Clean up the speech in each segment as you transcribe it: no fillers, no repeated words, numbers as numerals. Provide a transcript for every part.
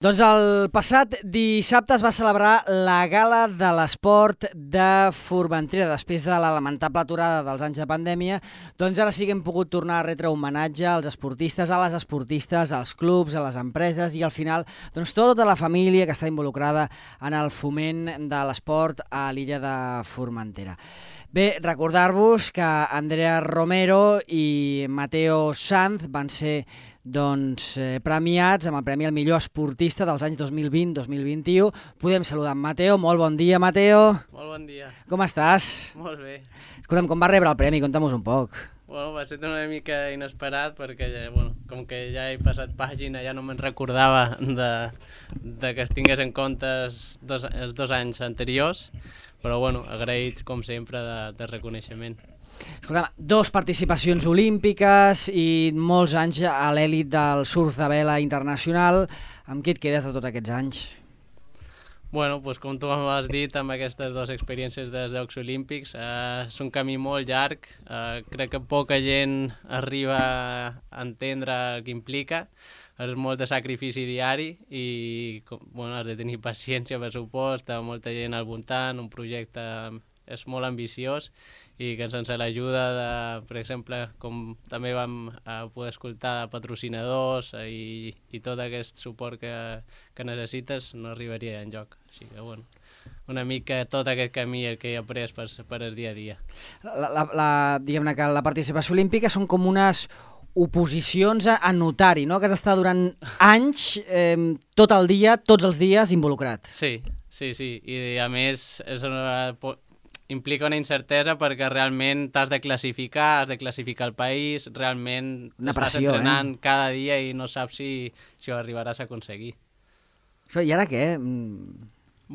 Doncs el passat dissabte es va celebrar la Gala de l'Esport de Formentera. Després de la lamentable aturada dels anys de pandèmia, doncs ara sí que hem pogut tornar a retre homenatge als esportistes, a les esportistes, als clubs, a les empreses i al final doncs tota la família que està involucrada en el foment de l'esport a l'illa de Formentera. Bé, recordar-vos que Andrea Romero i Mateo Sanz van ser premiats amb el Premi al millor esportista dels anys 2020-2021. Podem saludar en Mateo. Molt bon dia, Mateo. Molt bon dia. Com estàs? Molt bé. Escolta'm, com va rebre el premi? Conta'm-nos un poc. Bueno, va ser una mica inesperat perquè, com que ja he passat pàgina, ja no me'n recordava de que es tingués en compte els dos anys anteriors, però agraïts com sempre de reconeixement. Escolta'm, 2 participacions olímpiques i molts anys a l'èlit del surf de vela internacional. Amb què et quedes de tots aquests anys? Com tu m'has dit, amb aquestes 2 experiències dels Jocs Olímpics, és un camí molt llarg. Crec que poca gent arriba a entendre el que implica. És molt de sacrifici diari i has de tenir paciència, pressupost, molta gent al voltant, un projecte és molt ambiciós i que sense l'ajuda, per exemple, com també vam poder escoltar de patrocinadors i tot aquest suport que necessites, no arribaria enlloc. Així que, una mica tot aquest camí que he après per el dia a dia. Diguem-ne que la participació olímpica són com unes oposicions a notari, no? Que has d'estar durant anys, tot el dia, tots els dies, involucrat. Sí. I a més implica una incertesa perquè realment t'has de classificar el país, realment estàs entrenant cada dia i no saps si ho arribaràs a aconseguir. I ara què?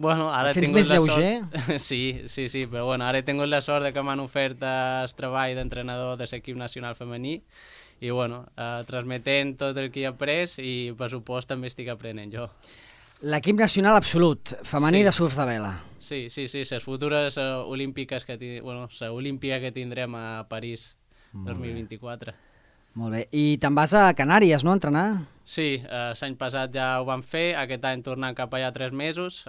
Ara et sents més lleuger? Sí, però ara he tingut la sort que m'han ofert el treball d'entrenador de l'equip nacional femení i transmetent tot el que he après i per supost també estic aprenent jo. L'equip nacional absolut, femení de surf de vela. Sí, les futures olímpiques l'olímpia que tindrem a París 2024. Molt bé, i te'n vas a Canàries, no, a entrenar? Sí, l'any passat ja ho vam fer, aquest any tornant cap allà 3 mesos,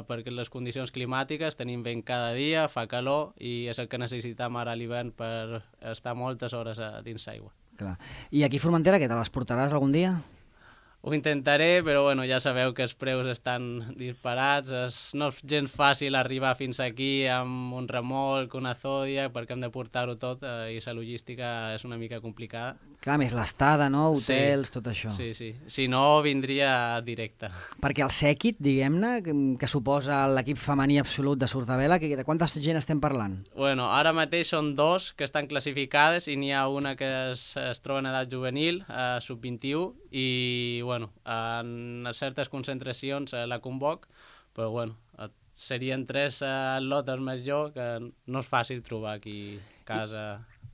perquè les condicions climàtiques tenim vent cada dia, fa calor i és el que necessitem ara a l'hivern per estar moltes hores dins l'aigua. Clar. I aquí a Formentera, què, te les portaràs algun dia? Ho intentaré, però ja sabeu que els preus estan disparats, no és gens fàcil arribar fins aquí amb un remolc, una zòdia, perquè hem de portar-ho tot i la logística és una mica complicada. Clar, més l'estada, no? Hotels, tot això. Sí. Si no, vindria directe. Perquè el sèquit, diguem-ne, que suposa l'equip femení absolut de surf de vela, de quanta gent estem parlant? Ara mateix són 2 que estan classificades i n'hi ha una que es troba en edat juvenil, sub-21, i en certes concentracions la convoc, però serien 3 atletes més jo, que no és fàcil trobar aquí a casa.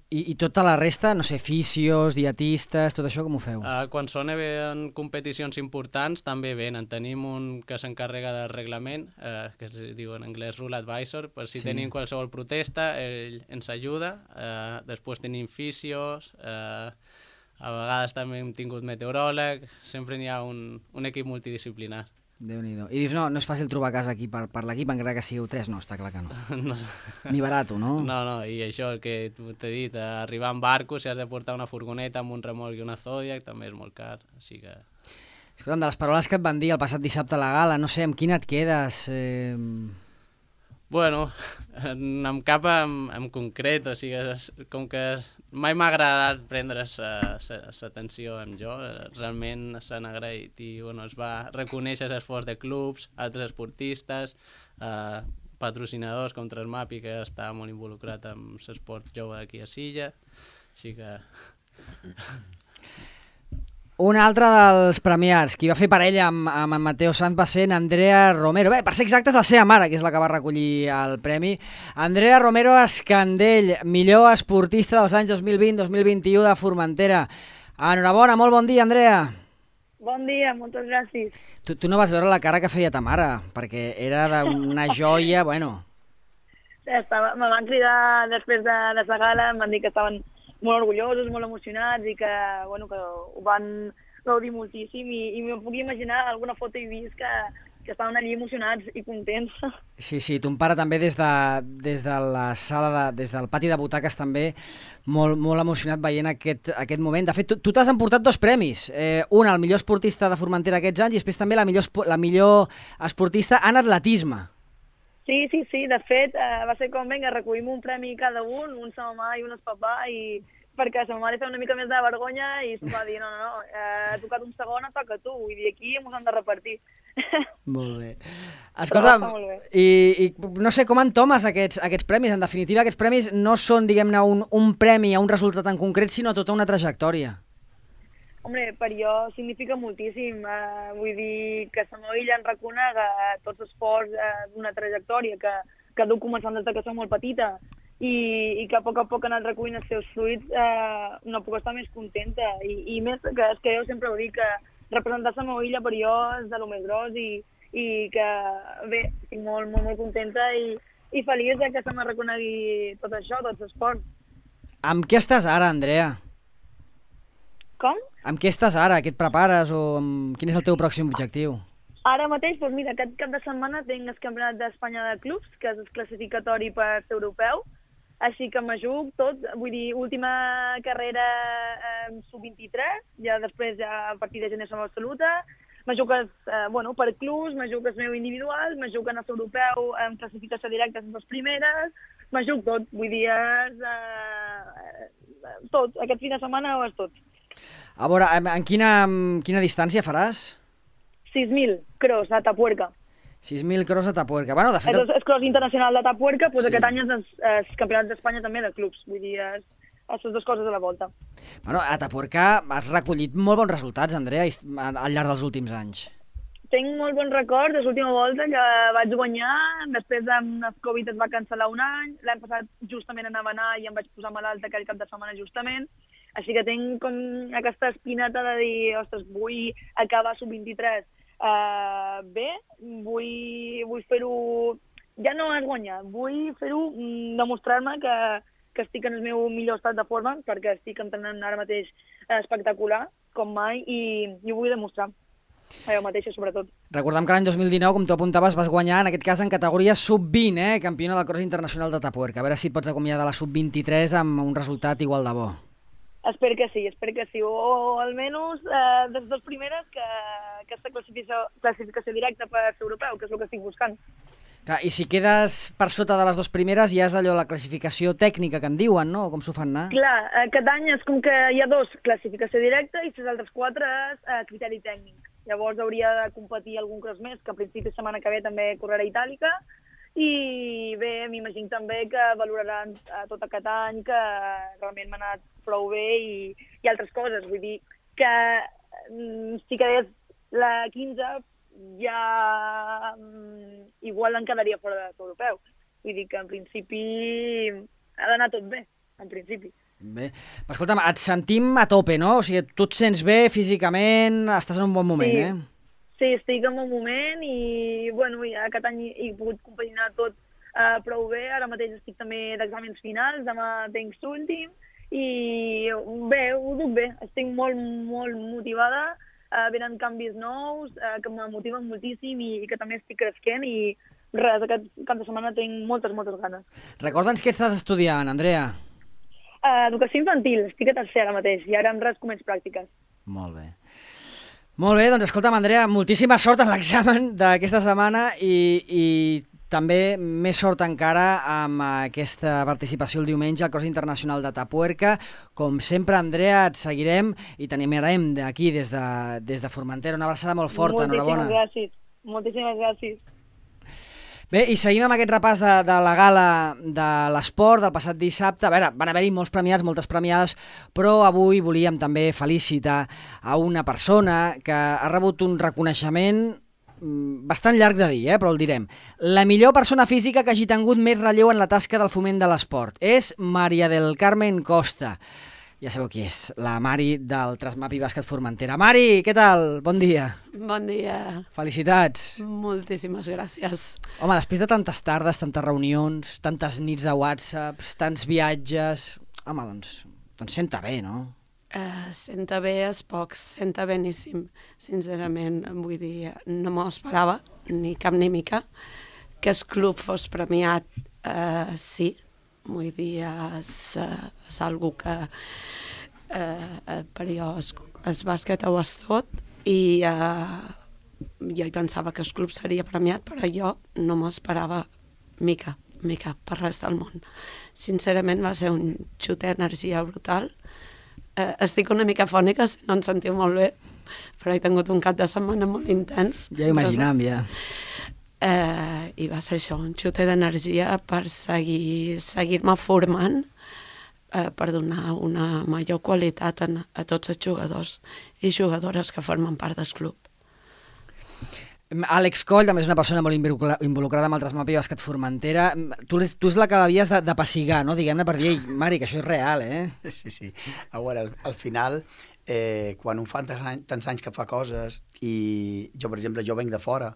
I tota la resta, no sé, fisios, dietistes, tot això com ho feu? Quan són en competicions importants també venen. Tenim un que s'encarrega del reglament, que es diu en anglès Rule Advisor, per si tenim qualsevol protesta, ell ens ajuda. Després tenim fisios, a vegades també hem tingut meteoròleg, sempre n'hi ha un equip multidisciplinar. Déu-n'hi-do. I dius, no és fàcil trobar casa aquí per l'equip, encara que sigueu 3, no, està clar que no. Ni barato, no? No, i això el que t'he dit, arribar en barco, si has de portar una furgoneta amb un remolc i una zòdia, també és molt car, així que... Escolta'm, de les paraules que et van dir el passat dissabte a la gala, no sé, amb quina et quedes? Amb cap en concret, o sigui, com que mai m'ha agradat prendre l'atenció amb jo, realment s'han agraït i es va reconèixer l'esforç de clubs, altres esportistes, patrocinadors com Transmapi, que està molt involucrat amb l'esport jove d'aquí a Silla, així que... Un altre dels premiats, qui va fer parella amb en Mateo Sanz va ser en Andrea Romero. Bé, per ser exactes, la seva mare, que és la que va recollir el premi. Andrea Romero Escandell, millor esportista dels anys 2020-2021 de Formentera. Enhorabona, molt bon dia, Andrea. Bon dia, moltes gràcies. Tu no vas veure la cara que feia ta mare, perquè era d'una joia, Me van cridar després de la gala, em van dir que estaven molt orgullosos, molt emocionats i que ho van gaudir moltíssim i m'ho puc imaginar, alguna foto he vist que estaven allí emocionats i contents. Sí, ton pare també des de la sala, des del pati de butaques també, molt emocionat veient aquest moment. De fet, tu t'has emportat 2 premis, un al millor esportista de Formentera aquests anys i després també la millor esportista en atletisme. Sí, de fet, va ser com, vinga, recollim un premi cada un sa mamà i un papà, i perquè sa mamà li feia una mica més de vergonya i se'm va dir, no, ha tocat un segon, et toca a tu, vull dir, aquí ens han de repartir. Molt bé. Escolta'm, i no sé com entomes aquests premis. En definitiva, aquests premis no són, diguem-ne, un premi a un resultat en concret, sinó tota una trajectòria. Hombre, per jo significa moltíssim. Vull dir que la meva illa en reconega tots els esforços d'una trajectòria que duc començant des que soc molt petita i que a poc ha anat recollint els seus fruits, no puc estar més contenta. I més que és que jo sempre ho dic, que representar la meva illa per jo és de lo més gros i que, bé, estic molt contenta i feliç que se m'ha reconegui tot això, tot l'esport. Amb què estàs ara, Andrea? Com? Amb què estàs ara? Què et prepares? O quin és el teu pròxim objectiu? Ara mateix, doncs mira, aquest cap de setmana tinc el Campionat d'Espanya de Clubs, que és el classificatori per ser europeu, així que m'ajuc tot, vull dir, última carrera sub-23, ja després a partir de gener som absoluta, m'ajuc per clubs, m'ajuc el meu individual, m'ajuc en el europeu amb classificació directa en les primeres, m'ajuc tot, vull dir, tot, aquest fin de setmana ho és tot. A veure, en quina distància faràs? 6.000 cross a Atapuerca. 6.000 cross a Atapuerca. Bueno, de fet... És cross internacional d'Atapuerca, doncs sí. Aquest any és el Campionat d'Espanya també de clubs, vull dir, les dues coses a la volta. Bueno, a Atapuerca has recollit molt bons resultats, Andrea, al llarg dels últims anys. Tinc molt bons records de l'última volta que vaig guanyar, després amb el Covid es va cancel·lar un any, l'any passat justament anava a anar i em vaig posar malalta aquell cap de setmana justament, així que tinc com aquesta espineta de dir, ostres, vull acabar sub-23 bé, vull fer-ho, ja no és guanyar, vull fer-ho, demostrar-me que estic en el meu millor estat de forma, perquè estic entrenant ara mateix espectacular, com mai, i ho vull demostrar. Jo mateixa, sobretot. Recordem que l'any 2019, com tu apuntaves, vas guanyar, en aquest cas, en categoria sub-20, campiona del cross internacional d'Atapuerca. A veure si et pots acomiadar de la sub-23 amb un resultat igual de bo. Espero que sí, o almenys de les dues primeres que aquesta classificació directa per ser europeu, que és el que estic buscant. Clar, i si quedes per sota de les dues primeres ja és allò, la classificació tècnica que en diuen, no? Com s'ho fan anar? Clar, aquest any és com que hi ha 2, classificació directa, i les altres 4 és criteri tècnic. Llavors hauria de competir algun cross més, que a principi de setmana que ve també correrà itàlica, i bé, m'imagino també que valoraran tot aquest any, que realment m'ha anat prou bé i altres coses. Vull dir que si quedés la 15 ja igual en quedaria fora de l'europeu. Vull dir que en principi ha d'anar tot bé, en principi. Bé, però escolta'm, et sentim a tope, no? O sigui, tu et sents bé físicament, estàs en un bon moment, sí. Eh? Sí, estic en un moment i bueno, aquest any he pogut compaginar tot prou bé. Ara mateix estic també d'exàmens finals, demà tinc l'últim i bé, ho duc bé. Estic molt motivada, venen canvis nous que me motiven moltíssim i que també estic creixent i res, aquest cap de setmana tinc moltes ganes. Recorda'ns què estàs estudiant, Andrea. Educació infantil, estic a tercer ara mateix i ara en res començo pràctiques. Molt bé. Molt bé, doncs escolta'm, Andrea, moltíssima sort en l'examen d'aquesta setmana i també més sort encara amb aquesta participació el diumenge al Cross Internacional d'Atapuerca. Com sempre, Andrea, et seguirem i t'animarem d'aquí, des de Formentera. Una abraçada molt forta, enhorabona. Moltíssimes gràcies. Bé, i seguim amb aquest repàs de la gala de l'esport del passat dissabte. A veure, van haver-hi molts premiats, moltes premiades, però avui volíem també felicitar a una persona que ha rebut un reconeixement bastant llarg de dir, però el direm. La millor persona física que hagi tingut més relleu en la tasca del foment de l'esport és Maria del Carmen Costa. Ja sabeu qui és, la Mari del Trasmapi Bàsquet Formentera. Mari, què tal? Bon dia. Bon dia. Felicitats. Moltíssimes gràcies. Home, després de tantes tardes, tantes reunions, tantes nits de WhatsApp, tants viatges... Home, doncs senta bé, no? Senta bé és poc, senta beníssim, sincerament. Vull dir, no m'ho esperava, ni cap ni mica. Que el club fos premiat, sí. Vull dir, és algo que per jo el bàsquet ho és tot i jo hi pensava que el club seria premiat, però jo no m'ho esperava mica per res del món. Sincerament va ser un xut d'energia brutal. Estic una mica fònica, si no em sentiu molt bé, però he tingut un cap de setmana molt intens. Ja imaginam, ja. I va ser això, un xut d'energia per seguir-me formant, per donar una major qualitat a tots els jugadors i jugadores que formen part del club. Àlex Coll també és una persona molt involucrada amb el Trasmapi Bàsquet Formentera. Tu és la que l'havies de pessigar, no? Diguem-ne per dir, Mari, que això és real, eh? Sí. A veure, al final, quan un fa tants anys que fa coses, i jo, per exemple, jo venc de fora,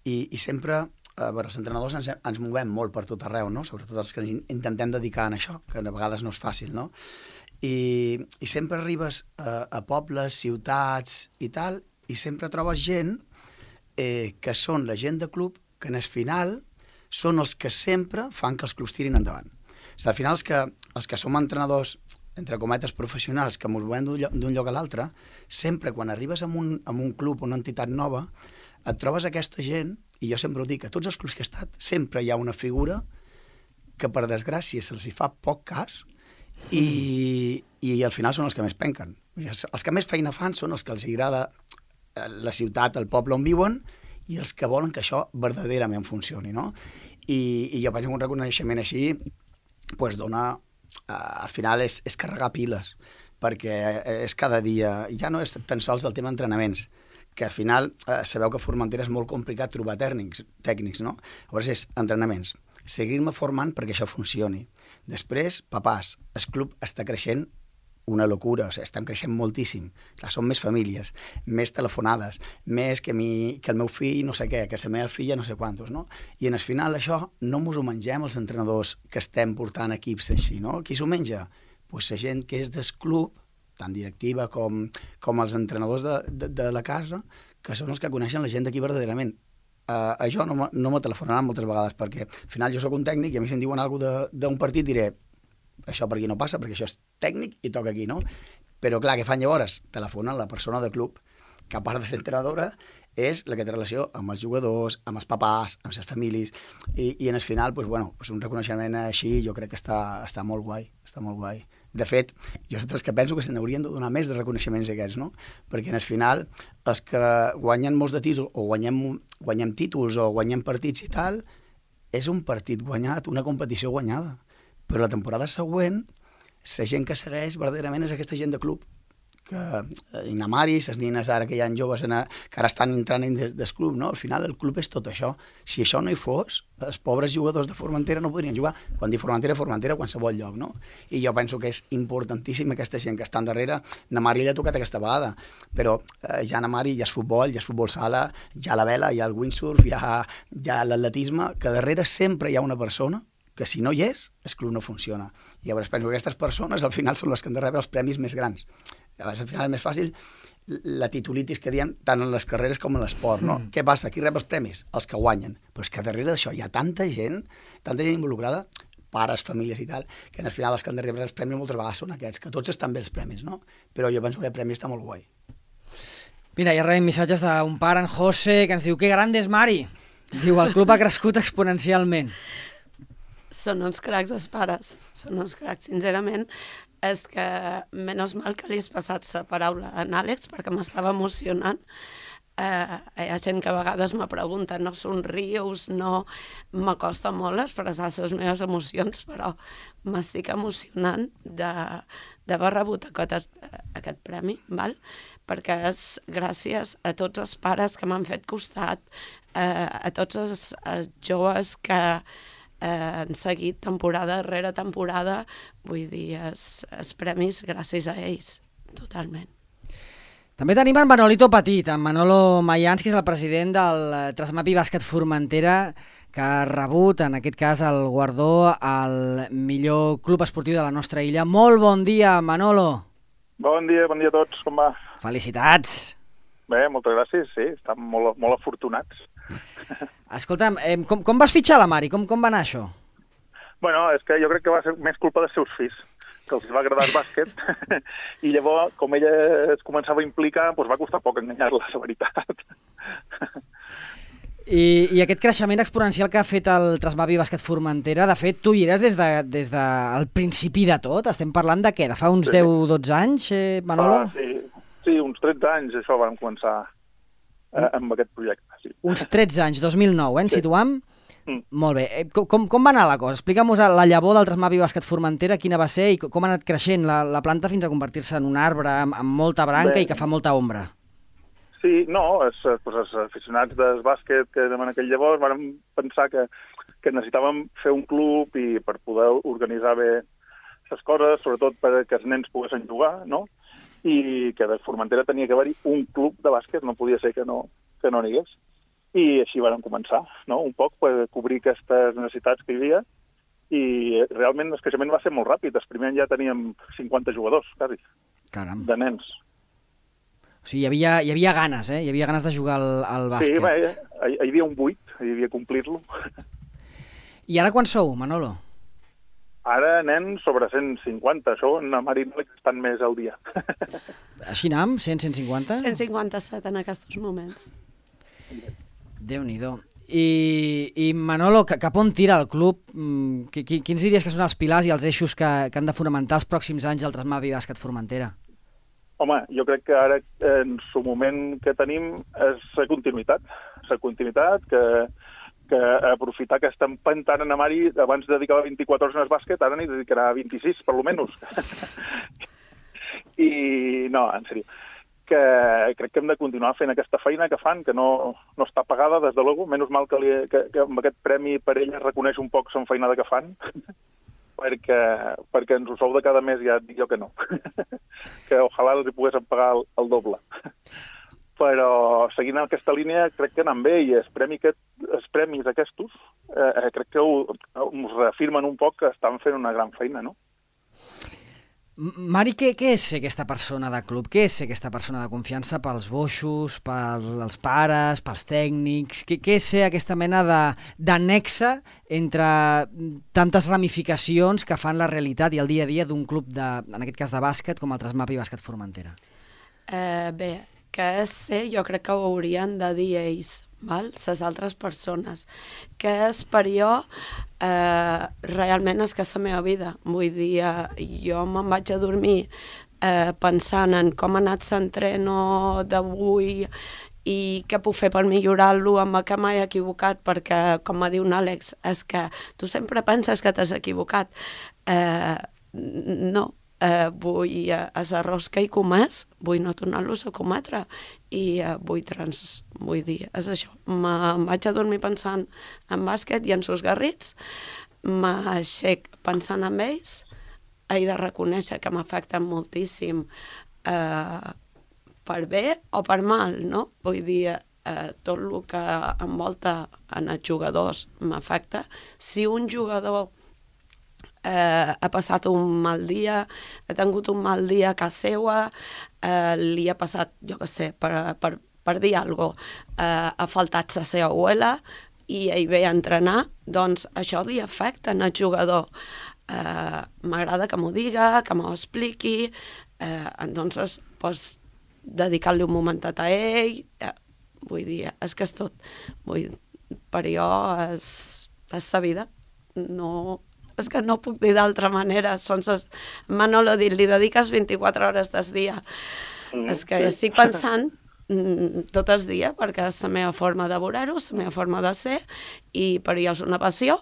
i sempre, a veure, els entrenadors ens movem molt per tot arreu, no? Sobretot els que intentem dedicar a això, que a vegades no és fàcil, no? I sempre arribes a pobles, ciutats i tal, i sempre trobes gent que són la gent de club, que en el final són els que sempre fan que els clubs tirin endavant. O sigui, al final els que som entrenadors, entre cometes, professionals, que ens movem d'un lloc a l'altre, sempre quan arribes a un club o una entitat nova, et trobes aquesta gent, i jo sempre ho dic, a tots els clubs que he estat, sempre hi ha una figura que per desgràcia se'ls fa poc cas i al final són els que més penquen. Els que més feina fan són els que els agrada la ciutat, el poble on viuen, i els que volen que això verdaderament funcioni, no? I jo penso que un reconeixement així pues dona, al final és carregar piles, perquè és cada dia, ja no és tan sols el tema d'entrenaments, que al final sabeu que a Formentera és molt complicat trobar tècnics, no? Llavors és entrenaments, seguir-me formant perquè això funcioni. Després, papàs, el club està creixent una locura, o sigui, estem creixent moltíssim. Clar, són més famílies, més telefonades, més que el meu fill no sé què, que la meva filla no sé quantos, no? I en el final això no mos ho mengem els entrenadors que estem portant equips així, no? Qui s'ho menja? Pues la gent que és del club, tant directiva com els entrenadors de la casa, que són els que coneixen la gent d'aquí verdaderament. A jo no me telefonaran moltes vegades, perquè al final jo sóc un tècnic i a mi si em diuen alguna cosa d'un partit diré això per aquí no passa, perquè això és tècnic i toca aquí, no? Però clar, què fan llavors? Telefonen la persona de club, que a part de ser entrenadora, és la que té relació amb els jugadors, amb els papàs, amb les famílies, i en el final, pues, bueno, pues un reconeixement així jo crec que està molt guai, està molt guai. De fet, jo soc dels que penso que se n'haurien de donar més de reconeixements aquests, no? Perquè en el final, els que guanyen molts de títols, o guanyem títols, o guanyem partits i tal, és un partit guanyat, una competició guanyada. Però la temporada següent, la gent que segueix verdaderament és aquesta gent de club, que Inamaris, les nines ara que hi ha joves que ara estan entrant del club, no? Al final el club és tot això. Si això no hi fos, els pobres jugadors de Formentera no podrien jugar. Quan dic Formentera, a qualsevol lloc, no? I jo penso que és importantíssim aquesta gent que està darrere. Namari ja ha tocat aquesta vegada, però ja a Namari hi ha futbol sala, hi ha la vela, hi ha el windsurf, hi ha l'atletisme, que darrere sempre hi ha una persona que si no hi és, el club no funciona. I llavors penso que aquestes persones al final són les que han de rebre els premis més grans. Llavors al final és més fàcil la titulitis que diem tant en les carreres com en l'esport, no? Què passa? Qui rep els premis? Els que guanyen. Però és que darrere d'això hi ha tanta gent involucrada, pares, famílies i tal, que al final els que han de rebre els premis moltes vegades són aquests, que tots estan bé els premis, no? Però jo penso que el premi està molt guai. Mira, ja rebem missatges d'un pare, en José, que ens diu que gran és Mari. Diu, el club ha crescut exponencialment. Són uns cracs els pares, són uns cracs, sincerament. És que menys mal que li has passat la paraula a Àlex perquè m'estava emocionant. Hi ha gent que a vegades me pregunta, no somrius, no... M'acosta molt expressar les meves emocions, però m'estic emocionant d'haver rebut aquest premi, val? Perquè és gràcies a tots els pares que m'han fet costat, a tots els joves que han seguit temporada rere temporada, vull dir, els premis gràcies a ells, totalment. També tenim en Manolito Petit, en Manolo Mayans, que és el president del Trasmapi Bàsquet Formentera, que ha rebut, en aquest cas, el guardó al millor club esportiu de la nostra illa. Molt bon dia, Manolo. Bon dia a tots, com va? Felicitats! Bé, moltes gràcies, sí, estem molt afortunats. Escolta'm, com vas fitxar la Mari? Com va anar això? Bueno, és que jo crec que va ser més culpa dels seus fills, que els va agradar el bàsquet, i llavors, com ella es començava a implicar, doncs va costar poc enganyar-la, la veritat. I aquest creixement exponencial que ha fet el Trasmavi Bàsquet Formentera, de fet, tu hi eres des del principi de tot? Estem parlant de què? De fa uns 10-12 anys, Manolo? Sí, uns 13 anys això vam començar amb aquest projecte. Sí. Uns 13 anys, 2009, ens situam? Molt bé. Com va anar la cosa? Explica'm-nos la llavor del Trasmavi Bàsquet Formentera, quina va ser i com ha anat creixent la planta fins a convertir-se en un arbre amb molta branca i que fa molta ombra. Sí, no, els aficionats del bàsquet que en aquell llavors vam pensar que necessitàvem fer un club i per poder organitzar bé les coses, sobretot perquè els nens poguessin jugar, no? I que de Formentera tenia que haver-hi un club de bàsquet, no podia ser que no n'hi hagués. I així vam començar, no? Un poc per cobrir aquestes necessitats que hi havia, i realment el creixement va ser molt ràpid. El primer any ja teníem 50 jugadors, quasi, Caram. De nens. O sigui, hi havia ganes, Hi havia ganes de jugar al bàsquet. Sí, bé, hi havia un buit, hi havia complir-lo. I ara quan sou, Manolo? Ara anem sobre 150, això en la Marina estan més al dia. Així anem? 100-150? 157 en aquests moments. Déu-n'hi-do. I Manolo, cap on tira el club? Quins diries que són els pilars i els eixos que han de fonamentar els pròxims anys el Trasmavi Bàsquet Formentera? Home, jo crec que ara en el moment que tenim és la continuïtat. La continuïtat que aprofitar que estem pentant en Mari, abans dedicava 24 hores al bàsquet, ara n'hi dedicarà 26, per lo menys. I no, en sèrio, que crec que hem de continuar fent aquesta feina que fan, que no està pagada, des de logo, menys mal que amb aquest premi per ella es reconeix un poc la feinada que fan, perquè ens ho sou de cada mes, ja et dic jo que no. Que ojalà els hi poguéssim pagar el doble. Però seguint aquesta línia crec que anem bé i els premis aquests crec que ens reafirmen un poc que estan fent una gran feina, no? Mari, què és ser aquesta persona de club? Què és ser aquesta persona de confiança pels boixos, pels pares, pels tècnics? Què és ser aquesta mena de nexe entre tantes ramificacions que fan la realitat i el dia a dia d'un club, en aquest cas de bàsquet, com el Trasmavi Bàsquet Formentera? Bé, que és ser, jo crec que ho haurien de dir ells, les altres persones. Que és per jo, realment és que és la meva vida. Vull dir, jo me'n vaig a dormir pensant en com ha anat l'entreno d'avui i què puc fer per millorar-lo, amb què m'he equivocat, perquè, com va dir un Àlex, és que tu sempre penses que t'has equivocat. No. Vull els errors que he comès, vull no tornar-los a cometre i vull dir, és això. Me'n vaig a dormir pensant en bàsquet i en sos garrits, m'aixec pensant en ells, he de reconèixer que m'afecten moltíssim per bé o per mal, no? Vull dir, tot el que envolta en els jugadors m'afecta. Si un jugador ha passat un mal dia, ha tingut un mal dia a casa seva, li ha passat, jo què sé, per dir alguna cosa, ha faltat la seva abuela i ell ve a entrenar, doncs això li afecta al jugador. M'agrada que m'ho diga, que m'ho expliqui, entonces, pues, dedicar-li un momentet a ell, vull dir, és que és tot. Per jo és la vida, no... És que no puc dir d'altra manera. Manolo ha dit, li dediques 24 hores del dia. És que estic pensant tot el dia, perquè és la meva forma de veure-ho, la meva forma de ser, i per jo és una passió,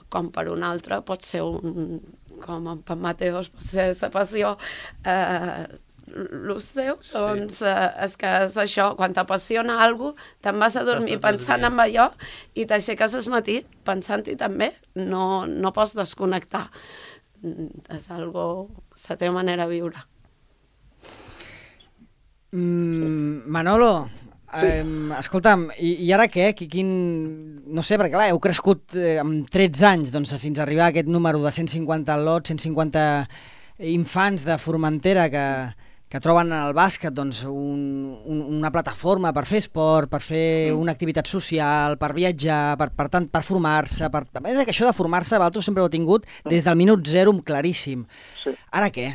com per un altre pot ser com per Mateos pot ser la passió, el seu, doncs és que és això, quan t'apassiona alguna cosa, te'n vas a dormir pensant en allò i t'aixeques al matí pensant-hi també, no pots desconnectar. És la teva manera de viure. Manolo, escolta'm, i ara què? No sé, perquè clar, heu crescut amb 13 anys doncs, fins a arribar a aquest número de 150 lots, 150 infants de Formentera que troben en el bàsquet doncs, una plataforma per fer esport, per fer una activitat social, per viatjar, per formar-se. A més, que això de formar-se, vosaltres sempre ho heu tingut des del minut zero claríssim. Sí. Ara què?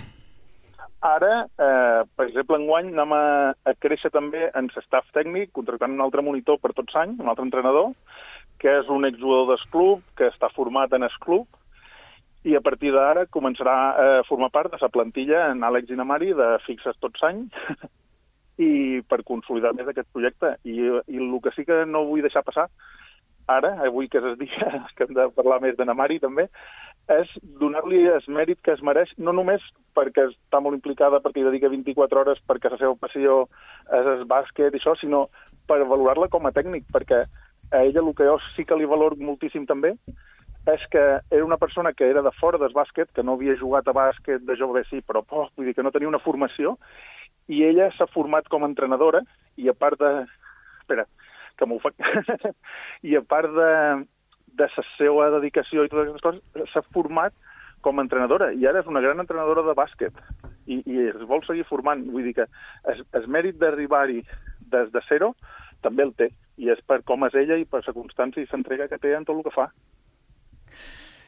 Ara, per exemple, enguany anem a créixer també en l'estaf tècnic, contractant un altre monitor per tots anys, un altre entrenador, que és un exjugador del club, que està format en el club, i a partir d'ara començarà a formar part de la plantilla en Àlex i na Mari de fixes tots anys i per consolidar més aquest projecte. I el que sí que no vull deixar passar ara, avui que és el dia que hem de parlar més de na Mari també, és donar-li el mèrit que es mereix, no només perquè està molt implicada perquè hi dedica 24 hores, perquè la seva passió és el bàsquet i això, sinó per valorar-la com a tècnic, perquè a ella el que jo sí que li valoro moltíssim també és que era una persona que era de fora del bàsquet, que no havia jugat a bàsquet de jove, sí, però vull dir que no tenia una formació, i ella s'ha format com a entrenadora, i a part de... Espera, que m'ho fa... I a part de la seva dedicació i totes aquestes coses, s'ha format com a entrenadora, i ara és una gran entrenadora de bàsquet, i es vol seguir formant. Vull dir que el mèrit d'arribar-hi des de zero també el té, i és per com és ella i per la constància i l'entrega que té en tot el que fa.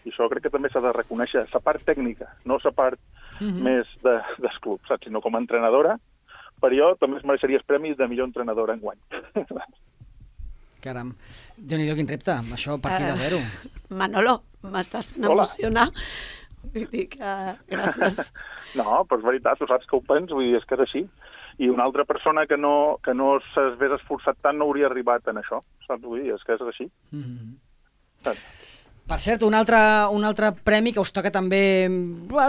I això crec que també s'ha de reconèixer, la part tècnica, no la part més del club, saps? Sinó com a entrenadora, per jo també es mereixeria els premis de millor entrenadora enguany. Caram, Déu-n'hi-do quin repte, això a partir de zero. Manolo, m'estàs fent emocionar. Vull dir que gràcies. No, però és veritat, tu saps que ho pens, vull dir, és que és així. I una altra persona que no s'hagués esforçat tant no hauria arribat en això, saps? Vull dir, és que és així. Saps? Per cert, un altre premi que us toca també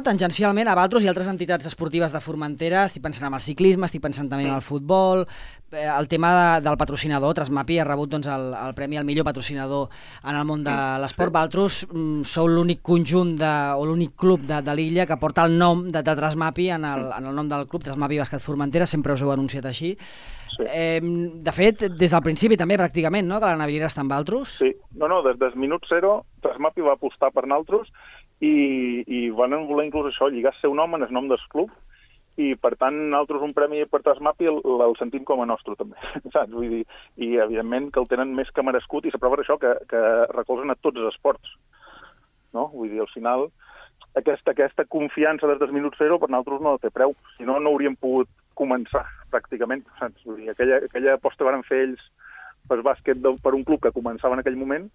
tangencialment a vosaltres i altres entitats esportives de Formentera. Estic pensant en el ciclisme, estic pensant també en el futbol. El tema del patrocinador, Trasmapi ha rebut doncs, el premi al millor patrocinador en el món de l'esport. Vosaltres sou l'únic conjunt o l'únic club de l'illa que porta el nom de Trasmapi en el nom del club, Trasmapi Bàsquet Formentera, sempre us heu anunciat així. De fet, des del principi també pràcticament, no?, que la navillera està amb vosaltres. Sí, no, des del minut zero Trasmapi va apostar per nosaltres i van voler inclús això, lligar el seu nom en el nom del club, i per tant nosaltres un premi per Trasmapi el sentim com a nostre també, saps? Vull dir, i evidentment que el tenen més que merescut, i la prova és això, que recolzen a tots els esports, no? Vull dir, al final aquesta confiança des del minut zero per nosaltres no té preu, si no, no hauríem pogut començar pràcticament, saps? Vull dir, aquella aposta que van fer ells per bàsquet per un club que començava en aquell moment,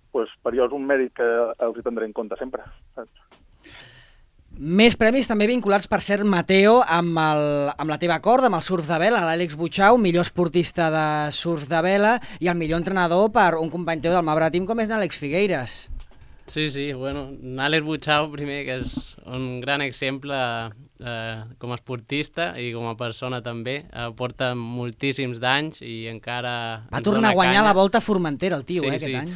doncs per jo és un mèrit que els hi tindré en compte sempre, saps? Més premis també vinculats, per cert, Mateo, amb la teva corda, amb el surf de vela, l'Àlex Butxau, millor esportista de surf de vela, i el millor entrenador per un company teu del Mabra Team com és l'Àlex Figueiras. Sí, bueno, Àlex Butxau, primer, que és un gran exemple com a esportista i com a persona també, porta moltíssims d'anys i encara... Va tornar a guanyar la Volta a Formentera, el tio, aquest any.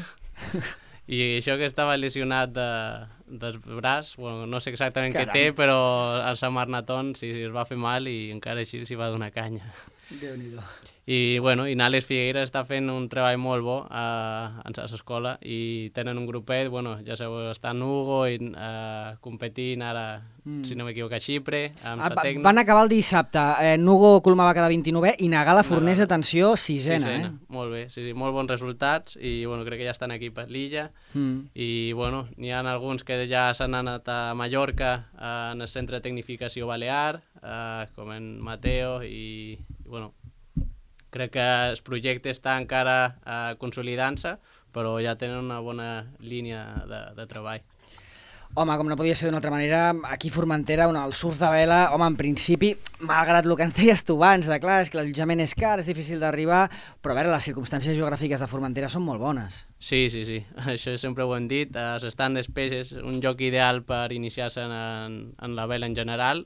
I això que estava lesionat del braç, bueno, no sé exactament què té, però al Sant Marnaton es va fer mal i encara així s'hi va donar canya. Déu-n'hi-do. I Àlex Figueira està fent un treball molt bo a l'escola i tenen un grupet, ja sabeu, està Hugo competint ara, si no m'equivoco, a Xipre, amb sa tècnica. Van acabar el dissabte, Hugo Coloma va quedar 29è i Nagala Fornés, atenció, sisena. Molt bé, sí, molt bons resultats i crec que ja estan aquí per l'illa i n'hi ha alguns que ja s'han anat a Mallorca en el centre de tecnificació balear, com en Mateo i crec que el projecte està encara consolidant-se, però ja tenen una bona línia de treball. Home, com no podia ser d'una altra manera, aquí a Formentera, el surf de vela, en principi, malgrat el que ens deies tu abans, clar, és que l'allotjament és car, és difícil d'arribar, però a veure, les circumstàncies geogràfiques de Formentera són molt bones. Sí, això sempre ho hem dit, s'estan despeses, un lloc ideal per iniciar-se en la vela en general,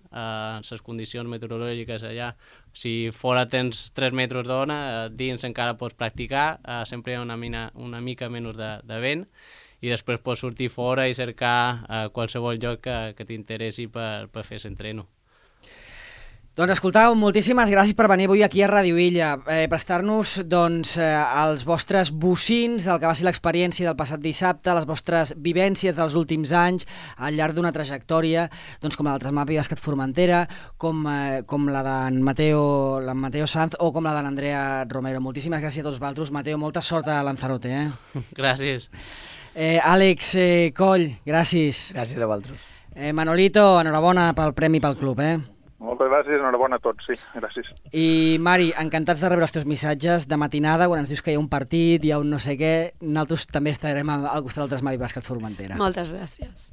les condicions meteorològiques allà, si fora tens 3 metres d'ona, dins encara pots practicar, sempre hi ha una mica menys de vent, i després pots sortir fora i cercar qualsevol lloc que t'interessi per fer l'entreno. Doncs escoltau, moltíssimes gràcies per venir avui aquí a Ràdio Illa, prestar-nos els vostres bocins del que va ser l'experiència del passat dissabte, les vostres vivències dels últims anys al llarg d'una trajectòria, com la del Trasmapi Bàsquet Formentera, com la d'en Mateo Sanz o com la d'en Andrea Romero. Moltíssimes gràcies a tots vosaltres. Mateo, molta sort a Lanzarote. Gràcies. Àlex Coll, gràcies. Gràcies a vosaltres. Manolito, enhorabona pel premi pel club, Moltes gràcies, enhorabona a tots, sí, gràcies. I Mari, encantats de rebre els teus missatges de matinada, quan ens dius que hi ha un partit, hi ha un no sé què, nosaltres també estarem al costat del Trasmapi Bàsquet Formentera. Moltes gràcies.